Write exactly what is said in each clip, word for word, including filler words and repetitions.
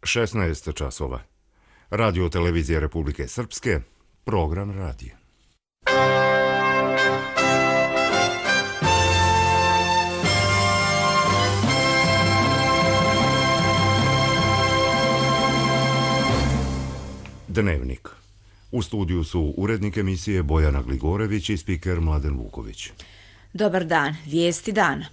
šesnaest časova. Radio televizija Republike Srpske, program radija. Dnevnik. U studiju su urednik emisije Bojana Gligorević i spiker Mladen Vuković. Dobar dan, vijesti dana.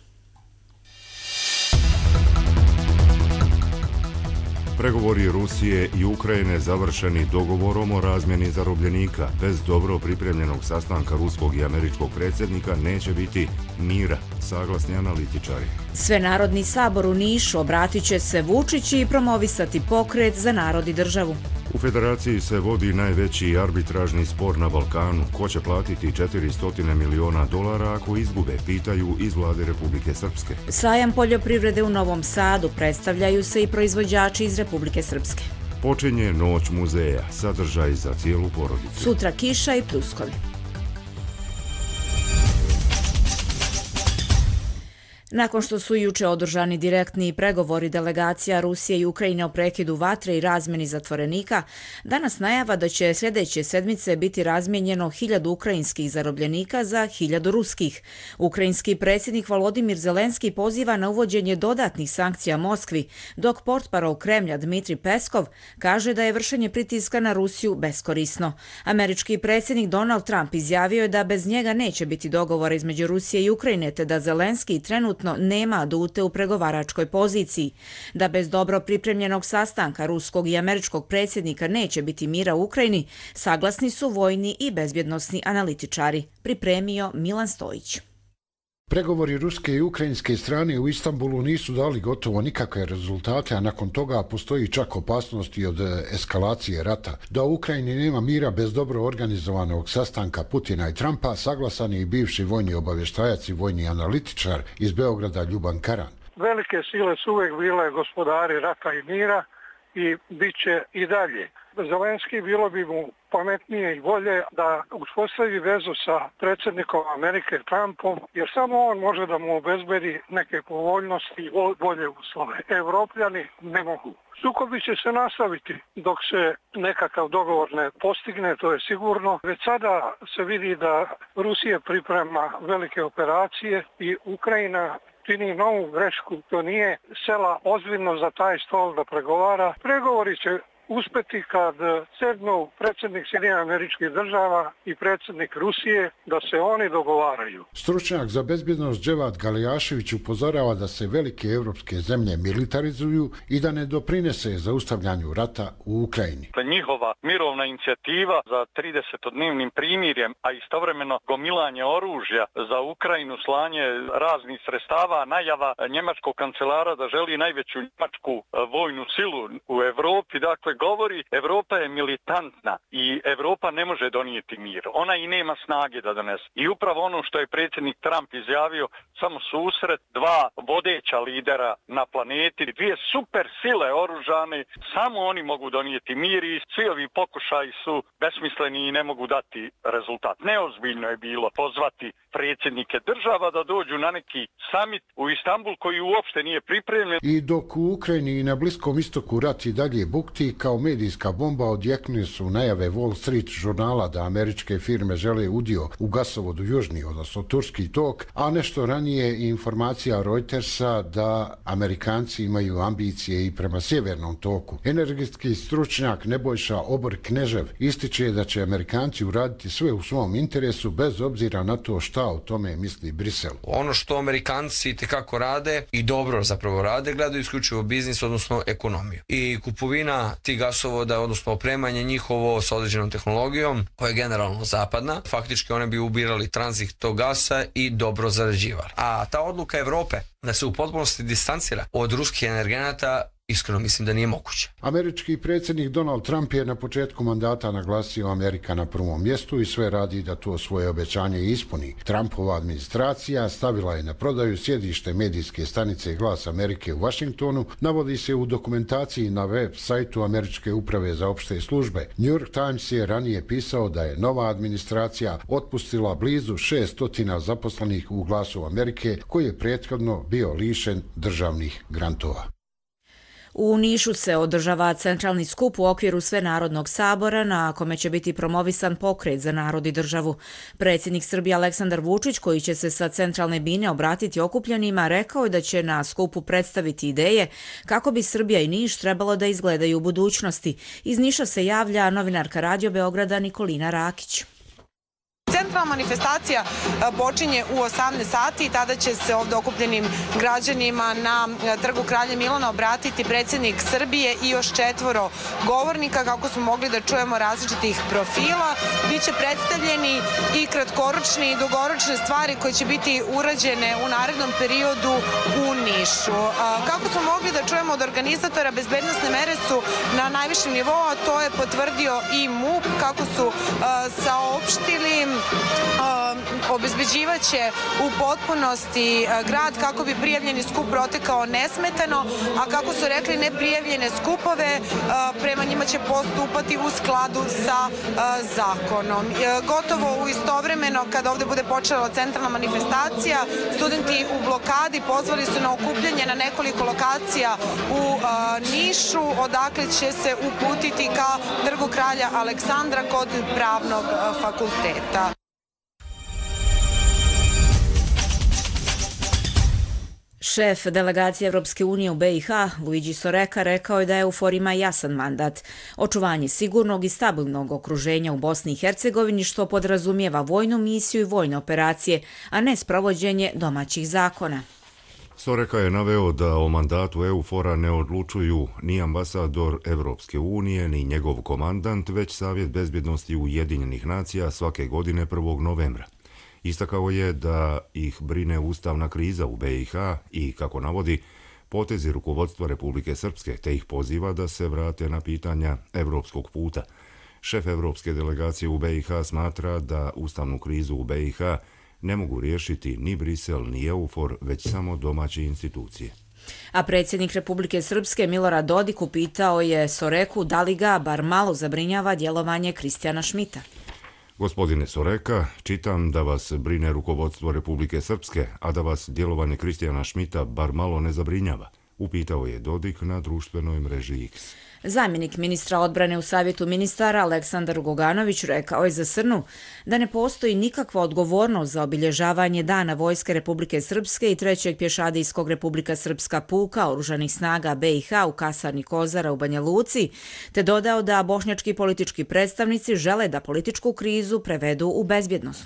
Pregovori Rusije i Ukrajine završeni dogovorom o razmjeni zarobljenika. Bez dobro pripremljenog sastanka ruskog i američkog predsjednika neće biti mira, saglasni analitičari. Svenarodni sabor u Nišu obratit će se Vučić i promovisati pokret za narod i državu. U federaciji se vodi najveći arbitražni spor na Balkanu. Ko će platiti četiristo miliona dolara ako izgube, pitaju iz vlade Republike Srpske. Sajam poljoprivrede u Novom Sadu, predstavljaju se i proizvođači iz Republike Srpske. Počinje Noć muzeja, sadržaj za cijelu porodicu. Sutra kiša i pljuskovi. Nakon što su juče održani direktni pregovori delegacija Rusije i Ukrajine o prekidu vatre i razmjeni zatvorenika, danas najava da će sljedeće sedmice biti razmijenjeno hiljadu ukrajinskih zarobljenika za hiljadu ruskih. Ukrajinski predsjednik Volodimir Zelenski poziva na uvođenje dodatnih sankcija Moskvi, dok portparol Kremlja Dmitrij Peskov kaže da je vršenje pritiska na Rusiju beskorisno. Američki predsjednik Donald Trump izjavio je da bez njega neće biti dogovora između Rusije i Ukrajine, te da Zelenski trenutno nema adute u pregovaračkoj poziciji. Da bez dobro pripremljenog sastanka ruskog i američkog predsjednika neće biti mira u Ukrajini, saglasni su vojni i bezbjednosni analitičari, pripremio Milan Stojić. Pregovori ruske i ukrajinske strane u Istanbulu nisu dali gotovo nikakve rezultate, a nakon toga postoji čak opasnost i od eskalacije rata. Da u Ukrajini nema mira bez dobro organizovanog sastanka Putina i Trumpa, saglasan je i bivši vojni obavještajac i vojni analitičar iz Beograda Ljuban Karan. Velike sile su uvijek bile gospodari rata i mira i bit će i dalje. Zelenski bilo bi mu pametnije i bolje da uspostavi vezu sa predsjednikom Amerike Trumpom, jer samo on može da mu obezbedi neke povoljnosti i bolje uslove. Evropljani ne mogu. Sukobi će se nastaviti dok se nekakav dogovor ne postigne, to je sigurno. Već sada se vidi da Rusija priprema velike operacije i Ukrajina čini novu grešku, to nije sela ozbiljno za taj stol da pregovara. Pregovori će uspeti kad sednu predsjednik Sjedinjenih Američkih Država i predsjednik Rusije da se oni dogovaraju. Stručnjak za bezbjednost Dževad Galijašević upozorava da se velike evropske zemlje militarizuju i da ne doprinese zaustavljanju rata u Ukrajini. Njihova mirovna inicijativa za tridesetodnevnim primirjem, a istovremeno gomilanje oružja za Ukrajinu, slanje raznih sredstava, najava njemačkog kancelara da želi najveću njemačku vojnu silu u Evropi, dakle govori Evropa je militantna i Evropa ne može donijeti mir. Ona i nema snage da donese. I upravo ono što je predsjednik Trump izjavio, samo susret dva vodeća lidera na planeti, dvije super sile oružane, samo oni mogu donijeti mir i svi ovi pokušaji su besmisleni i ne mogu dati rezultat. Neozbiljno je bilo pozvati predsjednike država da dođu na neki summit u Istanbul koji uopšte nije pripremljen. I dok u Ukrajini i na Bliskom istoku rat i dalje bukti, kao medijska bomba odjeknule su najave Wall Street žurnala da američke firme žele udio u gasovodu Južni, odnosno Turski tok, a nešto ranije i informacija Reutersa da Amerikanci imaju ambicije i prema Sjevernom toku. Energetski stručnjak Nebojša Obor-Knežev ističe da će Amerikanci uraditi sve u svom interesu bez obzira na to šta o tome misli Brisel. Ono što Amerikanci tekako rade i dobro zapravo rade, gledaju isključivo biznis, odnosno ekonomiju. I kupovina tih gasovoda, odnosno opremanje njihovo sa određenom tehnologijom, koja je generalno zapadna, faktički one bi ubirali tranzit tog gasa i dobro zarađivali. A ta odluka Evrope da se u potpunosti distancira od ruskih energenata, iskreno mislim da nije moguće. Američki predsjednik Donald Trump je na početku mandata naglasio Amerika na prvom mjestu i sve radi da to svoje obećanje ispuni. Trumpova administracija stavila je na prodaju sjedište medijske stanice Glas Amerike u Washingtonu, navodi se u dokumentaciji na web sajtu Američke uprave za opšte službe. New York Times je ranije pisao da je nova administracija otpustila blizu šeststo zaposlenih u Glasu Amerike, koji je prethodno bio lišen državnih grantova. U Nišu se održava centralni skup u okviru Svenarodnog sabora na kome će biti promovisan pokret za narod i državu. Predsjednik Srbije Aleksandar Vučić, koji će se sa centralne bine obratiti okupljenima, rekao je da će na skupu predstaviti ideje kako bi Srbija i Niš trebalo da izgledaju u budućnosti. Iz Niša se javlja novinarka Radio Beograda Nikolina Rakić. Centralna manifestacija počinje u osamnaest sati i tada će se ovdje okupljenim građanima na trgu Kralja Milana obratiti predsjednik Srbije i još četvoro govornika, kako smo mogli da čujemo, različitih profila. Biće predstavljeni i kratkoročne i dugoročne stvari koje će biti urađene u narednom periodu u Nišu. Kako smo mogli da čujemo od organizatora, bezbednosne mere su na najvišem nivou, a to je potvrdio i MUP, kako su saopštili. Obezbeđivaće u potpunosti grad kako bi prijavljeni skup protekao nesmetano, a kako su rekli, neprijavljene skupove prema njima će postupati u skladu sa zakonom. Gotovo u istovremeno, kada ovdje bude počela centralna manifestacija, studenti u blokadi pozvali su na okupljanje na nekoliko lokacija u Nišu, odakle će se uputiti ka trgu Kralja Aleksandra kod Pravnog fakulteta. Šef delegacije Evropske unije u be i ha, Luigi Soreka, rekao je da EUFOR ima jasan mandat. Očuvanje sigurnog i stabilnog okruženja u Bosni i Hercegovini, što podrazumijeva vojnu misiju i vojne operacije, a ne sprovođenje domaćih zakona. Soreka je naveo da o mandatu EUFOR-a ne odlučuju ni ambasador Evropske unije, ni njegov komandant, već Savjet bezbjednosti Ujedinjenih nacija svake godine prvog novembra. Istakao je da ih brine ustavna kriza u be i ha i, kako navodi, potezi rukovodstva Republike Srpske, te ih poziva da se vrate na pitanja evropskog puta. Šef evropske delegacije u be i ha smatra da ustavnu krizu u be i ha ne mogu riješiti ni Brisel ni EUFOR, već samo domaće institucije. A predsjednik Republike Srpske Milorad Dodik upitao je Soreku da li ga bar malo zabrinjava djelovanje Kristijana Šmita. Gospodine Soreka, čitam da vas brine rukovodstvo Republike Srpske, a da vas djelovanje Kristijana Šmita bar malo ne zabrinjava, upitao je Dodik na društvenoj mreži X. Zamjenik ministra odbrane u Savjetu ministara Aleksandar Goganović rekao je za Srnu da ne postoji nikakva odgovornost za obilježavanje Dana Vojske Republike Srpske i trećeg pješadijskog Republika Srpska puka oružanih snaga be i ha u kasarni Kozara u Banja Luci, te dodao da bošnjački politički predstavnici žele da političku krizu prevedu u bezbjednost.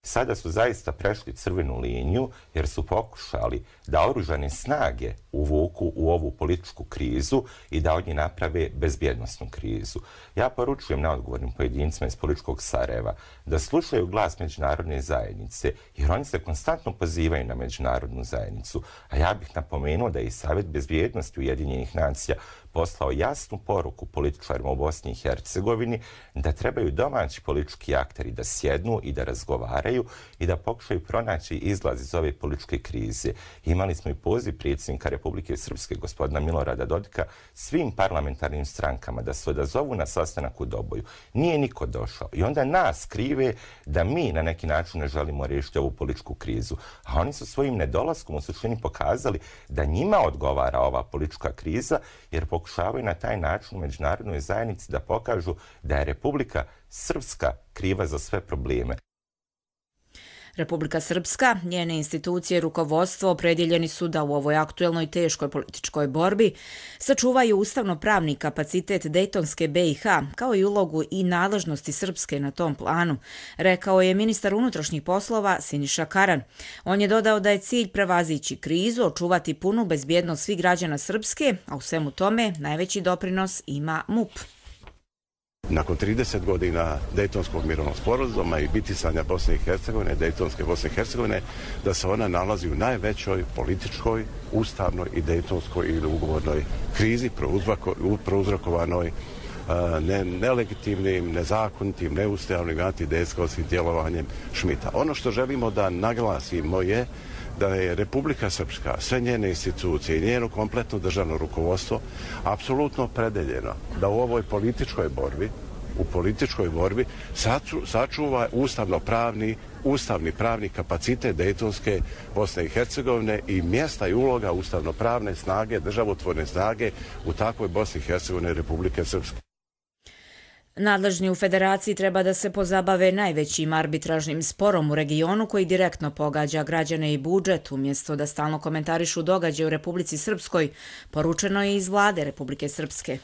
Sada su zaista prešli crvenu liniju jer su pokušali da oružane snage uvuku u ovu političku krizu i da od nje naprave bezbjednosnu krizu. Ja poručujem neodgovornim pojedincima iz političkog Sarajeva da slušaju glas međunarodne zajednice, jer oni se konstantno pozivaju na međunarodnu zajednicu. A ja bih napomenuo da je i Savjet bezbjednosti Ujedinjenih nacija poslao jasnu poruku političarima u Bosni i Hercegovini da trebaju domaći politički akteri da sjednu i da razgovaraju i da pokušaju pronaći izlaz iz ove političke krize. Imali smo i poziv predsjednika Republike Srpske, gospodina Milorada Dodika, svim parlamentarnim strankama da se odazovu na sastanak u Doboju. Nije niko došao. I onda nas krive da mi na neki način ne želimo riješiti ovu političku krizu. A oni su svojim nedolaskom u suštini pokazali da njima odgovara ova politička kriza, jer pokušavaju na taj način u međunarodnoj zajednici da pokažu da je Republika Srpska kriva za sve probleme. Republika Srpska, njene institucije i rukovodstvo opredjeljeni su da u ovoj aktuelnoj teškoj političkoj borbi sačuvaju ustavno-pravni kapacitet Dejtonske be i ha, kao i ulogu i nadležnosti Srpske na tom planu, rekao je ministar unutrašnjih poslova Siniša Karan. On je dodao da je cilj prevazići krizu, očuvati punu bezbjednost svih građana Srpske, a u svemu tome najveći doprinos ima MUP. Nakon trideset godina Dejtonskog mirovnog sporazuma i bitisanja Bosne i Hercegovine, Dejtonske Bosne i Hercegovine, da se ona nalazi u najvećoj političkoj, ustavnoj i dejtonskoj ili ugovornoj krizi prouzrokovanoj ne, nelegitimnim, nezakonitim, neustavnim, antidejskovskim djelovanjem Šmita. Ono što želimo da naglasimo je da je Republika Srpska, sve njene institucije i njeno kompletno državno rukovodstvo apsolutno opredeljeno da u ovoj političkoj borbi u političkoj borbi sačuva ustavno-pravni, ustavni pravni kapacitet Dejtonske Bosne i Hercegovine i mjesta i uloga ustavno-pravne snage, državotvorne snage u takvoj Bosni i Hercegovine Republike Srpske. Nadležni u federaciji treba da se pozabave najvećim arbitražnim sporom u regionu koji direktno pogađa građane i budžet, umjesto da stalno komentarišu događaje u Republici Srpskoj, poručeno je iz vlade Republike Srpske.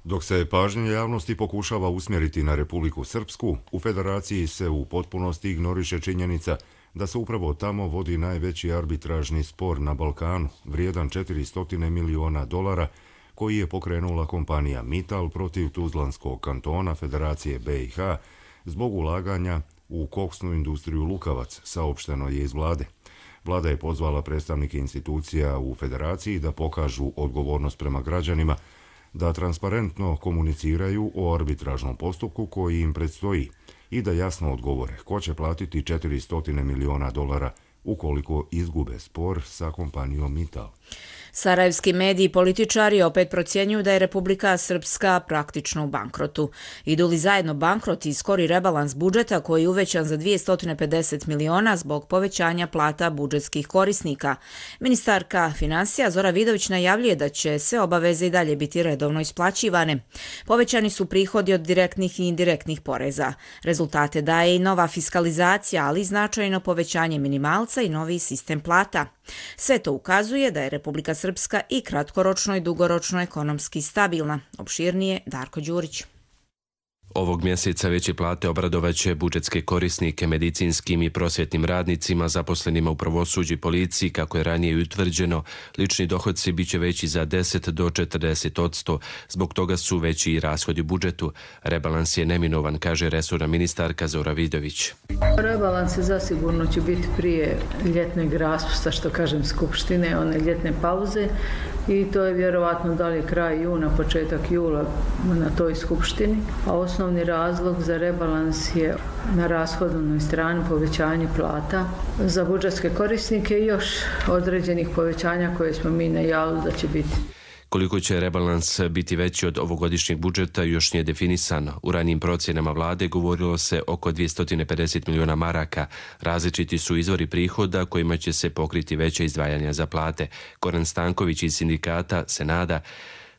Dok se pažnja javnosti pokušava usmjeriti na Republiku Srpsku, u federaciji se u potpunosti ignoriše činjenica da se upravo tamo vodi najveći arbitražni spor na Balkanu, vrijedan četiristo miliona dolara, koji je pokrenula kompanija Mittal protiv Tuzlanskog kantona Federacije B i H zbog ulaganja u koksnu industriju Lukavac, saopšteno je iz vlade. Vlada je pozvala predstavnike institucija u federaciji da pokažu odgovornost prema građanima, da transparentno komuniciraju o arbitražnom postupku koji im predstoji i da jasno odgovore ko će platiti četiristo miliona dolara ukoliko izgube spor sa kompanijom Mittal. Sarajevski mediji i političari opet procjenjuju da je Republika Srpska praktično u bankrotu. Idu li zajedno bankrot i skori rebalans budžeta koji je uvećan za dvjesto pedeset miliona zbog povećanja plata budžetskih korisnika? Ministarka finansija Zora Vidović najavljuje da će se obaveze i dalje biti redovno isplaćivane. Povećani su prihodi od direktnih i indirektnih poreza. Rezultate daje i nova fiskalizacija, ali i značajno povećanje minimalca i novi sistem plata. Sve to ukazuje da je Republika Srpska i kratkoročno i dugoročno ekonomski stabilna. Opširnije Darko Đurić. Ovog mjeseca veće plate obradovaće budžetske korisnike, medicinskim i prosvjetnim radnicima, zaposlenima u pravosuđu i policiji, kako je ranije utvrđeno. Lični dohodci biće veći za deset do četrdeset odsto, zbog toga su veći i rashodi u budžetu. Rebalans je neminovan, kaže resorna ministarka Zora Vidović. Rebalans je zasigurno će biti prije ljetnog raspusta, što kažem, skupštine, one ljetne pauze, i to je vjerovatno da li je kraj juna, početak jula na toj skupštini, a osnovni razlog za rebalans je na rashodovnoj strani povećanje plata za budžetske korisnike i još određenih povećanja koje smo mi najavili da će biti. Koliko će rebalans biti veći od ovogodišnjeg budžeta još nije definisano. U ranijim procjenama vlade govorilo se oko dvjesto pedeset miliona maraka. Različiti su izvori prihoda kojima će se pokriti veće izdvajanja za plate. Goran Stanković iz sindikata se nada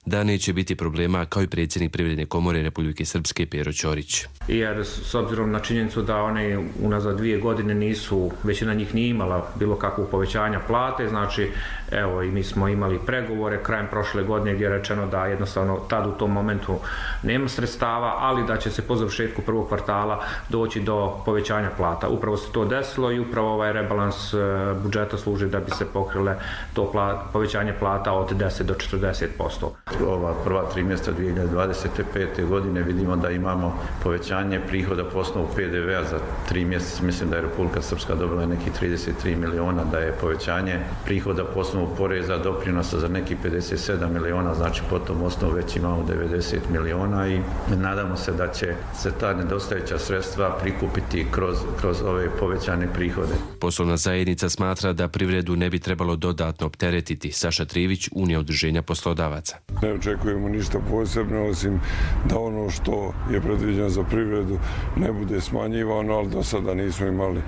da neće biti problema, kao i predsjednik Privredne komore Republike Srpske Pero Ćorić. Jer s obzirom na činjenicu da one unazad dvije godine nisu, većina njih nije imala bilo kakvog povećanja plate, znači evo i mi smo imali pregovore krajem prošle godine gdje je rečeno da jednostavno tad u tom momentu nema sredstava, ali da će se po završetku prvog kvartala doći do povećanja plata. Upravo se to desilo i upravo ovaj rebalans budžeta služi da bi se pokrile to pla, povećanje plata od deset do četrdeset posto. Ova prva tri mjeseca dvije hiljade dvadeset pete. godine vidimo da imamo povećanje prihoda po osnovu P D V-a za tri mjeseca. Mislim da je Republika Srpska dobila nekih trideset tri miliona, da je povećanje prihoda po osnovu poreza doprinosa za nekih pedeset sedam miliona, znači po tom osnovu već imamo devedeset miliona i nadamo se da će se ta nedostajuća sredstva prikupiti kroz, kroz ove povećane prihode. Poslovna zajednica smatra da privredu ne bi trebalo dodatno opteretiti. Saša Trivić, Unija udruženja poslodavaca. Ne očekujemo ništa posebno, osim da ono što je predviđeno za privredu ne bude smanjivano, ali do sada nismo imali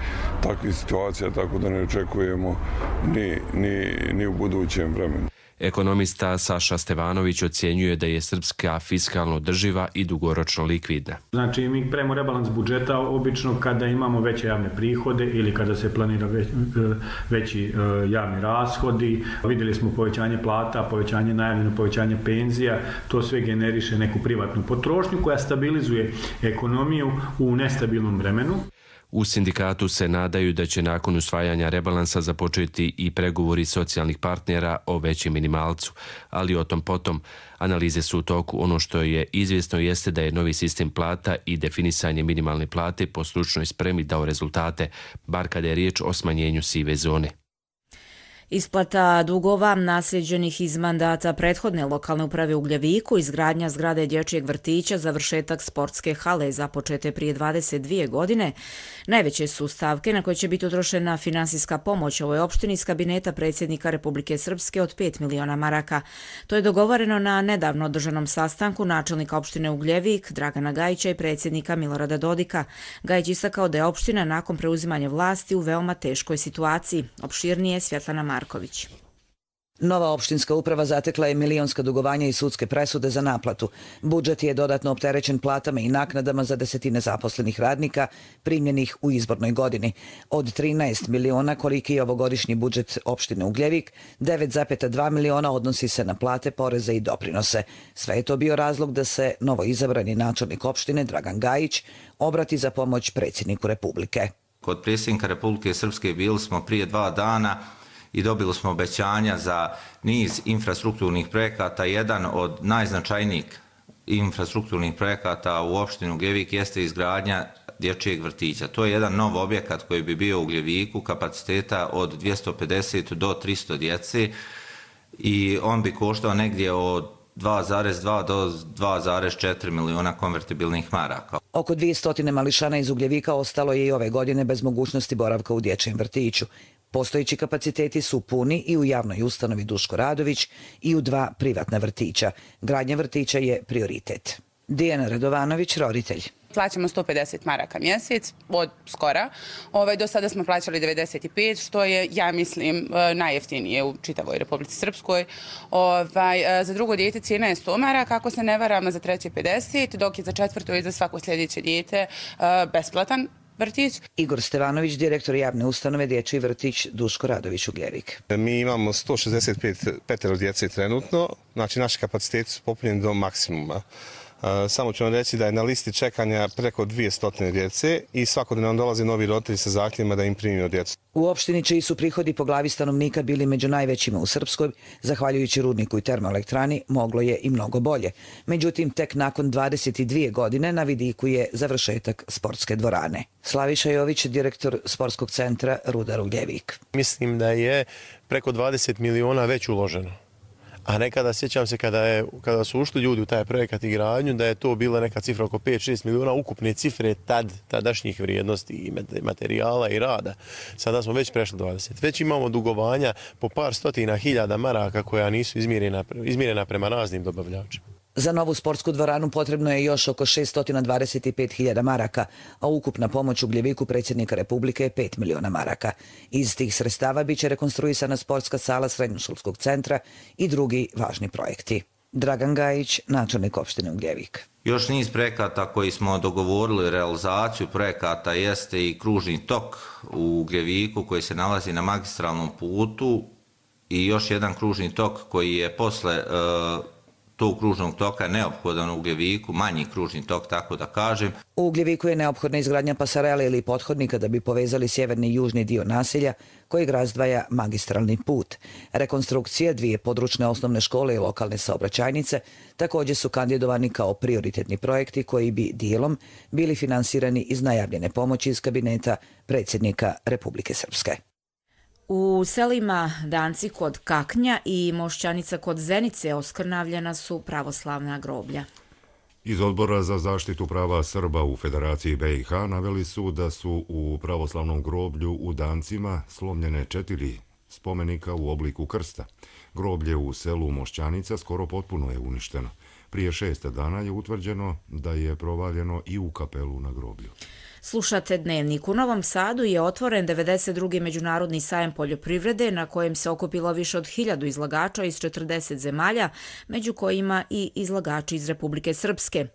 takvih situacija, tako da ne očekujemo ni, ni, ni u budućem vremenu. Ekonomista Saša Stevanović ocjenjuje da je Srpska fiskalno održiva i dugoročno likvidna. Znači, mi pravimo rebalans budžeta obično kada imamo veće javne prihode ili kada se planira već, veći javni rashodi. Vidjeli smo povećanje plata, povećanje najavljeno, povećanje penzija. To sve generiše neku privatnu potrošnju koja stabilizuje ekonomiju u nestabilnom vremenu. U sindikatu se nadaju da će nakon usvajanja rebalansa započeti i pregovori socijalnih partnera o većem minimalcu, ali o tom potom. Analize su u toku. Ono što je izvjesno jeste da je novi sistem plata i definisanje minimalne plate po stručnoj spremi dao rezultate, bar kada je riječ o smanjenju sive zone. Isplata dugova nasljeđenih iz mandata prethodne lokalne uprave u Ugljeviku, izgradnja zgrade dječjeg vrtića, završetak sportske hale započete prije dvadeset dvije godine, najveće su stavke na koje će biti utrošena finansijska pomoć ovoj opštini iz kabineta predsjednika Republike Srpske od pet miliona maraka. To je dogovoreno na nedavno održanom sastanku načelnika opštine Ugljevik, Dragana Gajića i predsjednika Milorada Dodika. Gajić istakao da je opština nakon preuzimanja vlasti u veoma teškoj situaciji. Opširnije Svjetlana Marković. Nova opštinska uprava zatekla je milionska dugovanja i sudske presude za naplatu. Budžet je dodatno opterećen platama i naknadama za desetine zaposlenih radnika primljenih u izbornoj godini. Od trinaest miliona koliki je ovogodišnji budžet opštine Ugljevik, devet zarez dva miliona odnosi se na plate, poreze i doprinose. Sve je to bio razlog da se novo izabrani načelnik opštine Dragan Gajić obrati za pomoć predsjedniku Republike. Kod predsjednika Republike Srpske bili smo prije dva dana i dobili smo obećanja za niz infrastrukturnih projekata. Jedan od najznačajnijih infrastrukturnih projekata u opštini Ugljevik jeste izgradnja dječjeg vrtića. To je jedan nov objekat koji bi bio u Ugljeviku kapaciteta od dvjesto pedeset do tristo djece i on bi koštao negdje od dva zarez dva do dva zarez četiri miliona konvertibilnih maraka. Oko dvjesto mališana iz Ugljevika ostalo je i ove godine bez mogućnosti boravka u dječjem vrtiću. Postojeći kapaciteti su puni i u javnoj ustanovi Duško Radović i u dva privatna vrtića. Gradnja vrtića je prioritet. Dijana Radovanović, roditelj. Plaćamo sto pedeset maraka mjesec od skora. Ovaj, do sada smo plaćali devedeset pet, što je, ja mislim, najjeftinije u čitavoj Republici Srpskoj. Ovaj, za drugo dijete cijena je sto maraka, ako se ne varam, za treće pedeset, dok je za četvrto i za svako sljedeće dijete besplatan vrtić. Igor Stevanović, direktor javne ustanove Dječji vrtić Duško Radović Ugljevik. Mi imamo sto šezdeset pet petero djece trenutno, znači naši kapaciteti su popunjeni do maksimuma. Samo ću vam reći da je na listi čekanja preko dvjesto djece i svakodnevno nam dolaze novi roditelji sa zahtjevima da im primimo djecu. U opštini čiji su prihodi po glavi stanovnika bili među najvećima u Srpskoj, zahvaljujući rudniku i termoelektrani, moglo je i mnogo bolje. Međutim, tek nakon dvadeset dvije godine na vidiku je završetak sportske dvorane. Slaviša Jović, direktor sportskog centra Rudar Ugljevik. Mislim da je preko dvadeset miliona već uloženo. A nekada, sjećam se, kada, je, kada su ušli ljudi u taj projekat i gradnju, da je to bila neka cifra oko pet šest miliona ukupne cifre tad, tadašnjih vrijednosti i materijala i rada. Sada smo već prešli dvadeset. Već imamo dugovanja po par stotina hiljada maraka koja nisu izmjerena, izmjerena prema raznim dobavljačima. Za novu sportsku dvoranu potrebno je još oko šeststo dvadeset pet hiljada maraka, a ukupna pomoć Ugljeviku predsjednika Republike je pet miliona maraka. Iz tih sredstava biće rekonstruisana sportska sala srednjoškolskog centra i drugi važni projekti. Dragan Gajić, načelnik opštine Ugljevik. Još niz projekata koji smo dogovorili realizaciju projekata jeste i kružni tok u Ugljeviku koji se nalazi na magistralnom putu i još jedan kružni tok koji je posle e, tog kružnog toka neophodan u Ugljeviku, manji kružni tok, tako da kažem. U Ugljeviku je neophodna izgradnja pasarele ili pothodnika da bi povezali sjeverni i južni dio naselja kojeg razdvaja magistralni put. Rekonstrukcija dvije područne osnovne škole i lokalne saobraćajnice također su kandidovani kao prioritetni projekti koji bi dijelom bili finansirani iz najavljene pomoći iz kabineta predsjednika Republike Srpske. U selima Danci kod Kaknja i Mošćanica kod Zenice oskrnavljena su pravoslavna groblja. Iz Odbora za zaštitu prava Srba u Federaciji B i H naveli su da su u pravoslavnom groblju u Dancima slomljene četiri spomenika u obliku krsta. Groblje u selu Mošćanica skoro potpuno je uništeno. Prije šest dana je utvrđeno da je provaljeno i u kapelu na groblju. Slušate Dnevnik. U Novom Sadu je otvoren devedeset drugi međunarodni sajam poljoprivrede na kojem se okupilo više od hiljadu izlagača iz četrdeset zemalja, među kojima i izlagači iz Republike Srpske.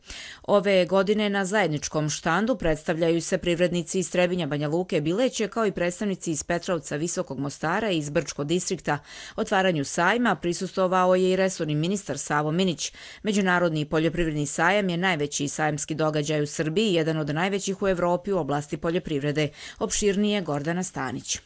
Ove godine na zajedničkom štandu predstavljaju se privrednici iz Trebinja, Banja Luke, Bileće, kao i predstavnici iz Petrovca, Visokog Mostara i iz Brčkog distrikta. Otvaranju sajma prisustvovao je i resorni ministar Savo Minić. Međunarodni poljoprivredni sajam je najveći sajamski događaj u Srbiji, jedan od najvećih u Evropi u oblasti poljoprivrede. Opširnije Gordana Stanić.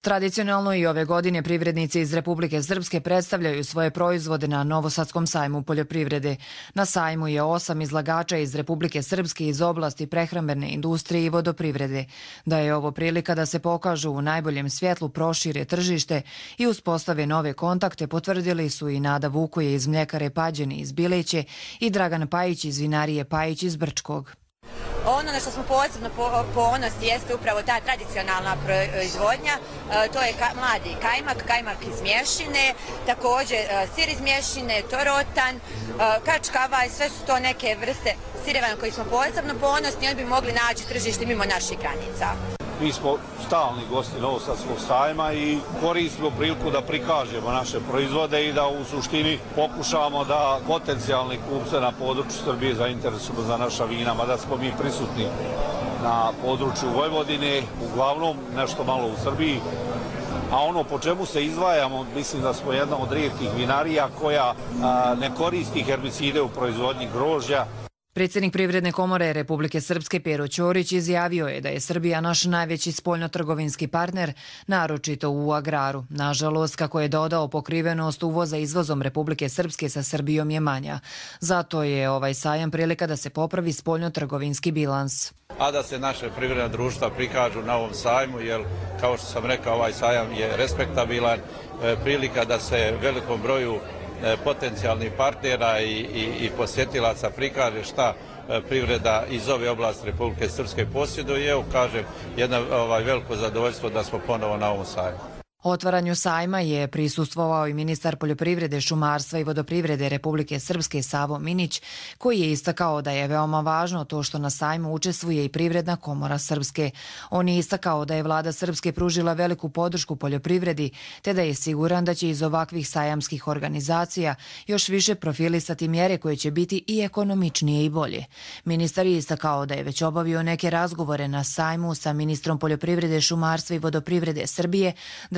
Tradicionalno i ove godine privrednici iz Republike Srpske predstavljaju svoje proizvode na Novosadskom sajmu poljoprivrede. Na sajmu je osam izlagača iz Republike Srpske iz oblasti prehrambene industrije i vodoprivrede. Da je ovo prilika da se pokažu u najboljem svjetlu, prošire tržište i uspostave nove kontakte, potvrdili su i Nada Vukuje iz mljekare Pađene iz Bileće i Dragan Pajić iz vinarije Pajić iz Brčkog. Ono na što smo posebno ponosni jeste upravo ta tradicionalna proizvodnja, to je mladi kajmak, kajmak iz mješine, također sir iz mješine, torotan, kačkavaj, sve su to neke vrste sireva na koji smo posebno ponosni i oni bi mogli naći tržište mimo naših granica. Mi smo stalni gosti Novosadskog sajma i koristimo priliku da prikažemo naše proizvode i da u suštini pokušamo da potencijalni kupce na području Srbije zainteresujemo za naša vina, mada smo mi prisutni na području Vojvodine, uglavnom nešto malo u Srbiji. A ono po čemu se izdvajamo, mislim da smo jedna od rijetkih vinarija koja a, ne koristi herbicide u proizvodnji grožđa. Predsjednik Privredne komore Republike Srpske Pero Ćorić izjavio je da je Srbija naš najveći spoljnotrgovinski partner, naročito u agraru. Nažalost, kako je dodao, pokrivenost uvoza izvozom Republike Srpske sa Srbijom je manja. Zato je ovaj sajam prilika da se popravi spoljnotrgovinski bilans. A da se naše privredna društva prikažu na ovom sajmu, jer kao što sam rekao, ovaj sajam je respektabilan, prilika da se velikom broju potencijalnih partnera i, i, i posjetilaca prikaže šta privreda iz ove oblasti Republike Srpske posjeduje i evo kažem jedno ovaj, veliko zadovoljstvo da smo ponovo na ovom sajmu. Otvaranju sajma je prisustvovao i ministar poljoprivrede, šumarstva i vodoprivrede Republike Srpske Savo Minić, koji je istakao da je veoma važno to što na sajmu učestvuje i Privredna komora Srpske. On je istakao da je vlada Srpske pružila veliku podršku poljoprivredi, te da je siguran da će iz ovakvih sajamskih organizacija još više profilisati mjere koje će biti i ekonomičnije i bolje. Ministar je istakao da je već obavio neke razgovore na sajmu sa ministrom poljoprivrede, šumarstva i vodoprivrede Srbije,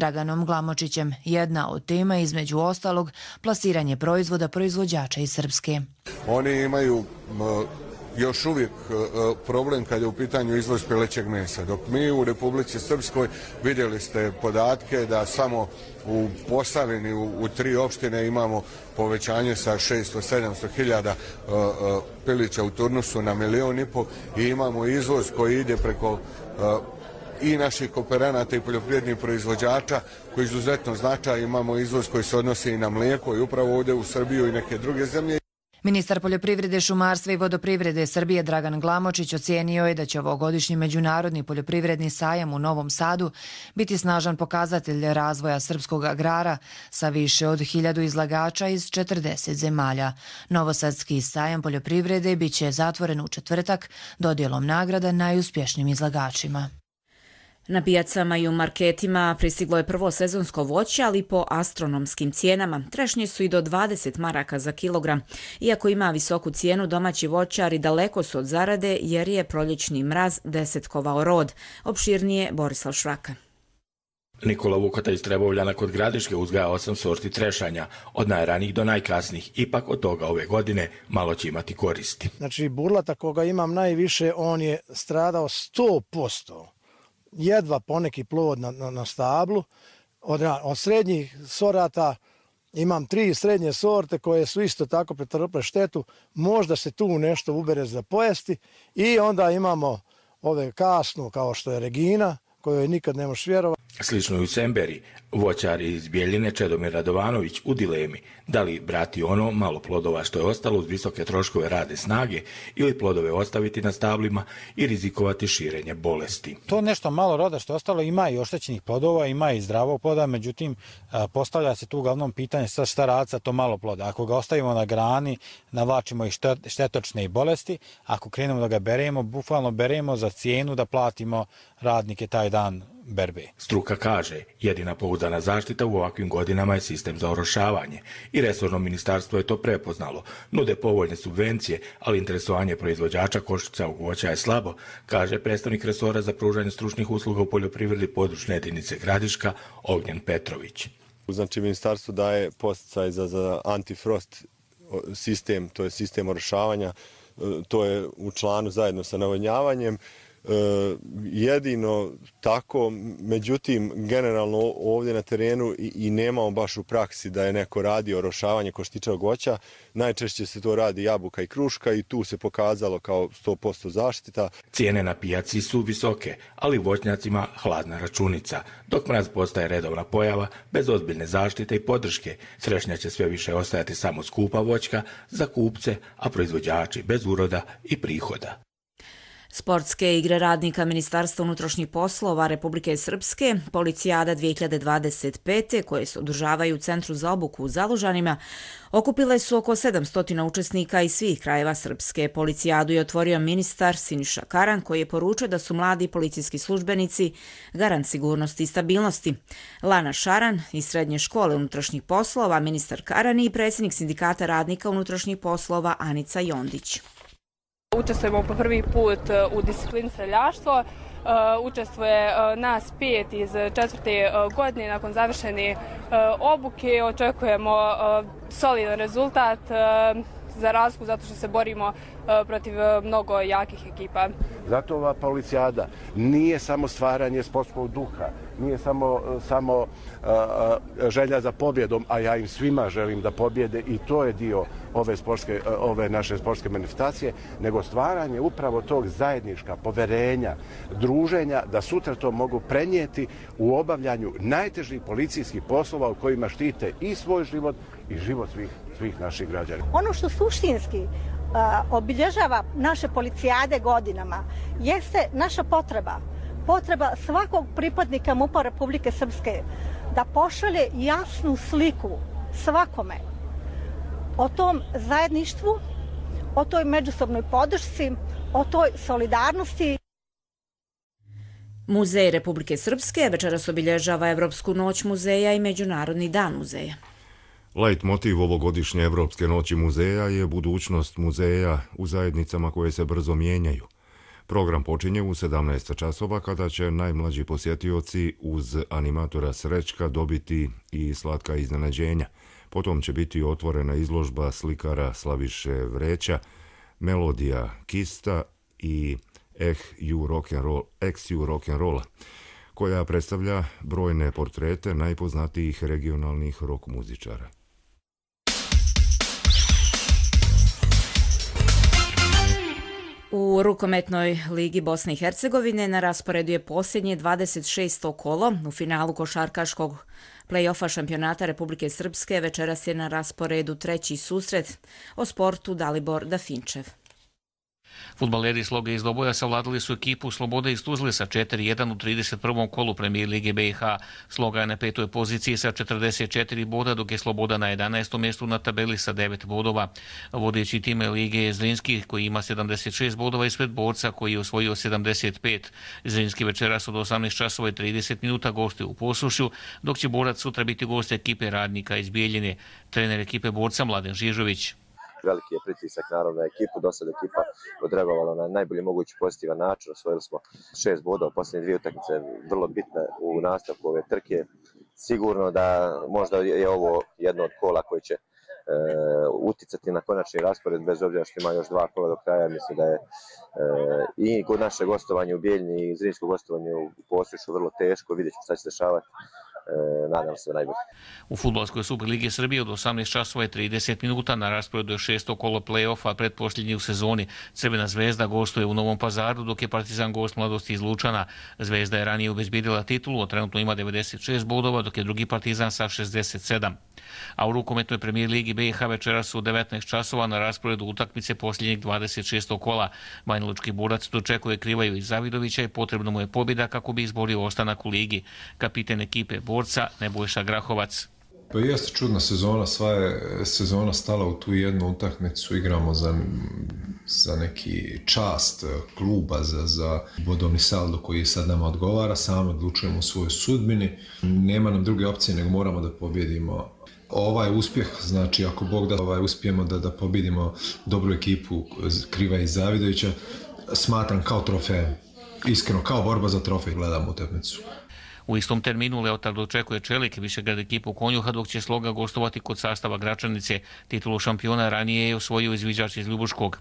Draganom Glamočićem. Jedna od tema, između ostalog, plasiranje proizvoda proizvođača iz Srpske. Oni imaju još uvijek problem kad je u pitanju izvoz pilećeg mesa. Dok mi u Republici Srpskoj vidjeli ste podatke da samo u Posavini, u, u tri opštine imamo povećanje sa šesto do sedamsto hiljada pilića u turnusu na milion i pol i imamo izvoz koji ide preko uh, i naših kooperanata i poljoprivrednih proizvođača koji izuzetno značaj. Imamo izvoz koji se odnosi i na mlijeko i upravo ovdje u Srbiju i neke druge zemlje. Ministar poljoprivrede, šumarstva i vodoprivrede Srbije Dragan Glamočić ocijenio je da će ovogodišnji međunarodni poljoprivredni sajam u Novom Sadu biti snažan pokazatelj razvoja srpskog agrara sa više od hiljadu izlagača iz četrdeset zemalja. Novosadski sajam poljoprivrede bit će zatvoren u četvrtak dodjelom nagrada najuspješnijim izlagačima. Na pijacama i u marketima pristiglo je prvo sezonsko voće, ali po astronomskim cijenama. Trešnje su i do dvadeset maraka za kilogram. Iako ima visoku cijenu, domaći voćari daleko su od zarade jer je proljećni mraz desetkovao rod. Opširnije Borislav Šraka. Nikola Vukata iz Trebovljana kod Gradiške uzgaja osam sorti trešanja, od najranijih do najkasnijih. Ipak od toga ove godine malo će imati koristi. Znači, burlata koga imam najviše, on je stradao sto posto. Jedva poneki plod na, na, na stablu. Od, od srednjih sorata imam tri srednje sorte koje su isto tako pretrpile štetu. Možda se tu nešto ubere za pojesti. I onda imamo ove kasnu kao što je Regina, kojoj nikad ne možeš vjerovati. Slično i u Semberi. Voćar iz Bijeljine Čedomir Radovanović u dilemi da li brati ono malo plodova što je ostalo uz visoke troškove rade snage ili plodove ostaviti na stablima i rizikovati širenje bolesti. To nešto malo roda što je ostalo ima i oštećenih plodova, ima i zdravog ploda, međutim postavlja se tu uglavnom pitanje sa šta raditi sa to malo ploda. Ako ga ostavimo na grani, navlačimo i štetočne i bolesti, ako krenemo da ga beremo, bukvalno beremo za cijenu da platimo radnike taj dan berbe. Struka kaže, jedina pouzdana zaštita u ovakvim godinama je sistem za orošavanje i resorno ministarstvo je to prepoznalo. Nude povoljne subvencije, ali interesovanje proizvođača košicavog voća je slabo, kaže predstavnik resora za pružanje stručnih usluga u poljoprivredi područne jedinice Gradiška Ognjen Petrović. Znači, ministarstvo daje podsticaj za, za antifrost sistem, to je sistem orošavanja, to je u članu zajedno sa navodnjavanjem. jedino tako, međutim generalno ovdje na terenu i, i nemamo baš u praksi da je neko radio orošavanje koštičavog voća. Najčešće se to radi jabuka i kruška i tu se pokazalo kao sto posto zaštita. Cijene na pijaci su visoke, ali voćnjacima hladna računica. Dok mraz postaje redovna pojava, bez ozbiljne zaštite i podrške, trešnja će sve više ostajati samo skupa voćka za kupce, a proizvođači bez uroda i prihoda. Sportske igre radnika Ministarstva unutrašnjih poslova Republike Srpske, Policijada dvije hiljade dvadeset pete, koje se održavaju u Centru za obuku u Zalužanima, okupile su oko sedamsto učesnika iz svih krajeva Srpske. Policijadu je otvorio ministar Siniša Karan, koji je poručio da su mladi policijski službenici garant sigurnosti i stabilnosti. Lana Šaran iz Srednje škole unutrašnjih poslova, ministar Karan i predsjednik Sindikata radnika unutrašnjih poslova Anica Jondić. Učestvujemo po prvi put u disciplini streljaštvo. Učestvuje nas pet iz četvrte godine. Nakon završene obuke očekujemo solidan rezultat za razliku zato što se borimo protiv mnogo jakih ekipa. Zato ova policijada nije samo stvaranje sportskog duha, nije samo, samo a, želja za pobjedom, a ja im svima želim da pobjede i to je dio ove, sportske, ove naše sportske manifestacije, nego stvaranje upravo tog zajednička, poverenja, druženja, da sutra to mogu prenijeti u obavljanju najtežih policijskih poslova u kojima štite i svoj život i život svih, svih naših građana. Ono što suštinski obilježava naše policijade godinama jeste naša potreba, potreba svakog pripadnika MUP-a Republike Srpske da pošalje jasnu sliku svakome o tom zajedništvu, o toj međusobnoj podršci, o toj solidarnosti. Muzej Republike Srpske večeras obilježava Evropsku noć muzeja i Međunarodni dan muzeja. Lajt motiv ovogodišnje Evropske noći muzeja je budućnost muzeja u zajednicama koje se brzo mijenjaju. Program počinje u sedamnaest časova kada će najmlađi posjetioci uz animatora Srećka dobiti i slatka iznenađenja. Potom će biti otvorena izložba slikara Slaviše Vreća, Melodija Kista i Ex You Rock'n'Rolla, koja predstavlja brojne portrete najpoznatijih regionalnih rock muzičara. U rukometnoj ligi Bosne i Hercegovine na rasporedu je posljednje dvadeset šesto kolo. U finalu košarkaškog play-offa šampionata Republike Srpske večeras je na rasporedu treći susret. O sportu Dalibor Dafinčev. Fudbaleri Sloge iz Doboja savladali su ekipu Slobode iz Tuzle sa četiri jedan u trideset prvom kolu Premijer Lige B i H. Sloga je na petoj poziciji sa četrdeset četiri boda, dok je Sloboda na jedanaestom mjestu na tabeli sa devet bodova. Vodeći tim Lige je Zrinski koji ima sedamdeset šest bodova ispred Borca koji je osvojio sedamdeset pet. Zrinski večeras od osamnaest časova i trideset minuta gostuje u Posušju, dok će Borac sutra biti gost ekipe Radnika iz Bijeljine. Trener ekipe Borca Mladen Žižović. Veliki je pritisak naravno na ekipu, do sada ekipa odreagovala na najbolji mogući pozitivan način, osvojili smo šest bodova, posljednje dvije utakmice vrlo bitne u nastavku ove trke. Sigurno da možda je ovo jedno od kola koje će e, uticati na konačni raspored, bez obzira što ima još dva kola do kraja. Mislim da je e, i kod naše gostovanje u Bijeljni i zrinsko gostovanje u Posušju vrlo teško, vidjet ćemo šta će se dešavati. Nadam se najbolje. U fudbalskoj Superligi Srbije od osamnaest časova i trideset minuta na rasporedu je šesto kolo play-offa, pretposljednji u sezoni. Crvena zvezda gostuje u Novom Pazaru, dok je Partizan gost Mladosti iz Lučana. Zvezda je ranije obezbjedila titulu, a trenutno ima devedeset šest bodova, dok je drugi Partizan sa šezdeset sedam. A u rukometnoj Premijer Ligi B i H večeras su u devetnaest časova na rasporedu utakmice posljednjeg dvadeset šestog kola. Banjalučki Borac dočekuje Krivaju i Zavidovića i potrebno mu je pobjeda kako bi izborio ostanak u ligi. Kapiten ekipe Borca Nebojša Grahovac. Pa jeste čudna sezona, sva je sezona stala u tu jednu utakmicu, igramo za, za neki čast kluba, za, za bodovni saldo koji sad nama odgovara, sami odlučujemo u svojoj sudbini, nema nam druge opcije nego moramo da pobjedimo. Ovaj uspjeh, znači ako Bog da ovaj, uspijemo da, da pobjedimo dobru ekipu Kriva i Zavidovića, smatram kao trofej, iskreno kao borba za trofej gledam utakmicu. U istom terminu Leotard očekuje Čelik, Višegrad ekipu Konjuha, dok će Sloga gostovati kod sastava Gračanice. Titulu šampiona ranije je osvojio izviđač iz Ljubuškog.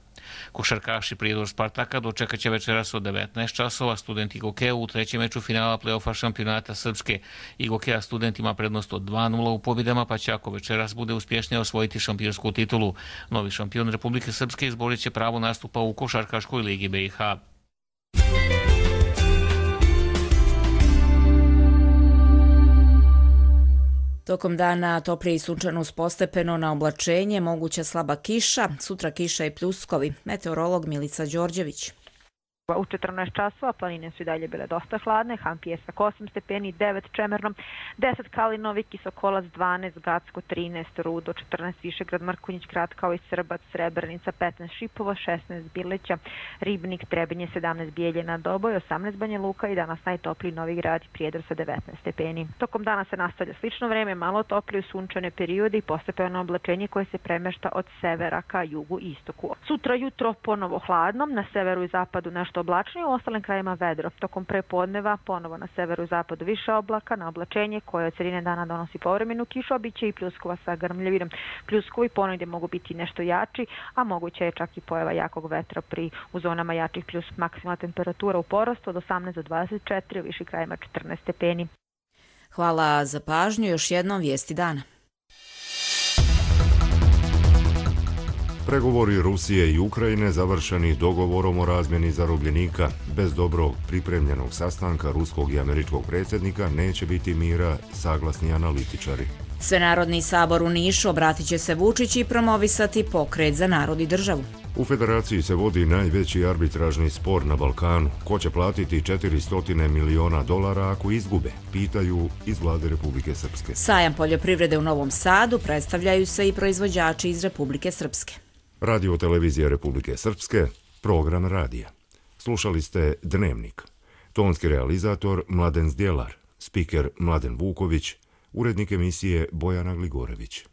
Košarkaši Prijedor Spartaka dočekat će večeras od devetnaest časova Student Igokeja u trećem meču finala play-offa šampionata Srpske. Igokeja Student ima prednost od dva nula u pobjedama, pa će ako večeras bude uspješnije osvojiti šampionsku titulu. Novi šampion Republike Srpske izborit će pravo nastupa u Košarkaškoj ligi B i H. Tokom dana toplije i sunčano uz postepeno na oblačenje, moguća slaba kiša, sutra kiša i pljuskovi. Meteorolog Milica Đorđević. U četrnaest časova planine su i dalje bile dosta hladne, Han Pjesak osam stepeni, devet Čemerno, deset Kalinovi, Kisokolac dvanaest, Gacko trinaest, Rudo četrnaest, Višegrad, Mrkonjić, Kratkao i Srbac, Srebrenica petnaest, Šipovo šesnaest, Bileća, Ribnik, Trebinje sedamnaest, Bijeljina, Doboj osamnaest, Banja Luka i danas najtopliji Novi Grad i Prijedor sa devetnaest stepeni. Tokom dana se nastavlja slično vreme, malo toplije sunčane periode i postepeno oblačenje koje se premešta od severa ka jugu i istoku. Sutra jutro ponovo hladno, na severu i zapadu nešto oblačnije, u ostalim krajima vedro. Tokom prepodneva ponovo na severu i zapadu više oblaka, na oblačenje koje od sredine dana donosi povremenu kišu, a bit će i pljuskova sa grmljavinom. Pljuskovi ponegdje mogu biti nešto jači, a moguće je čak i pojava jakog vetra pri u zonama jačih pljus. Maksimalna temperatura u porastu od osamnaest do dvadeset četiri, u višim krajima četrnaest stepeni. Hvala za pažnju, još jednom vijesti dana. Pregovori Rusije i Ukrajine završeni dogovorom o razmjeni zarobljenika. Bez dobro pripremljenog sastanka ruskog i američkog predsjednika neće biti mira, saglasni analitičari. Svenarodni sabor u Nišu obratit će se Vučić i promovisati pokret za narod i državu. U federaciji se vodi najveći arbitražni spor na Balkanu. Ko će platiti četiristo miliona dolara ako izgube, pitaju iz vlade Republike Srpske. Sajam poljoprivrede u Novom Sadu predstavljaju se i proizvođači iz Republike Srpske. Radio televizija Republike Srpske, program radija. Slušali ste Dnevnik. Tonski realizator Mladen Zdjelar, spiker Mladen Vuković, urednik emisije Bojana Gligorević.